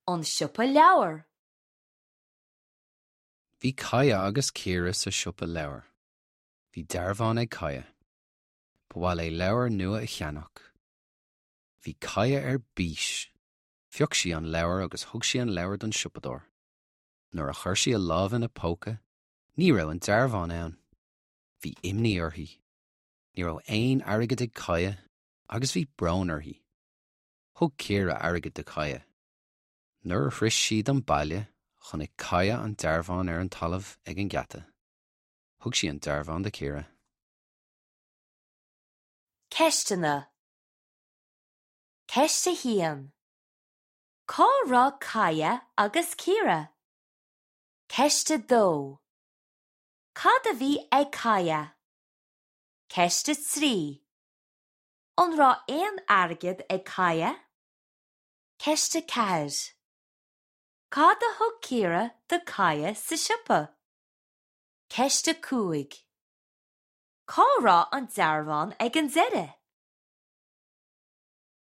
An siopa leabhar. Bhí Kaya agus Ciara sa siopa leabhar. Bhí dearbhán ag Kaya. Ba mhaith léi leabhar nua a cheannach. Bhí Kaya ar bís. Phioc sí an leabhar agus thug sí an leabhar don siopadóir. Nuair a chuir sí a lámh ina póca, ní raibh an dearbhán ann. Bhí imní uirthi. Ní raibh aon airgead ag Kaya agus bhí brón uirthi. Thug Ciara airgead do Kaya. Nuair a shroich siad an baile, chonaic Kaya an dearbhán ar an talamh ag an geata. Thug sí an dearbhán do Ciara. Ceisteanna Ceist 1. Cá raibh Kaya agus Ciara? Ceist 2. Cad a bhí ag Kaya? Ceist 3. An raibh aon airgead ag Kaya? Ceist 4. Cad a thug Ciara do Kaya sa siopa? Ceist 5. Cá raibh an dearbhán ag an deireadh?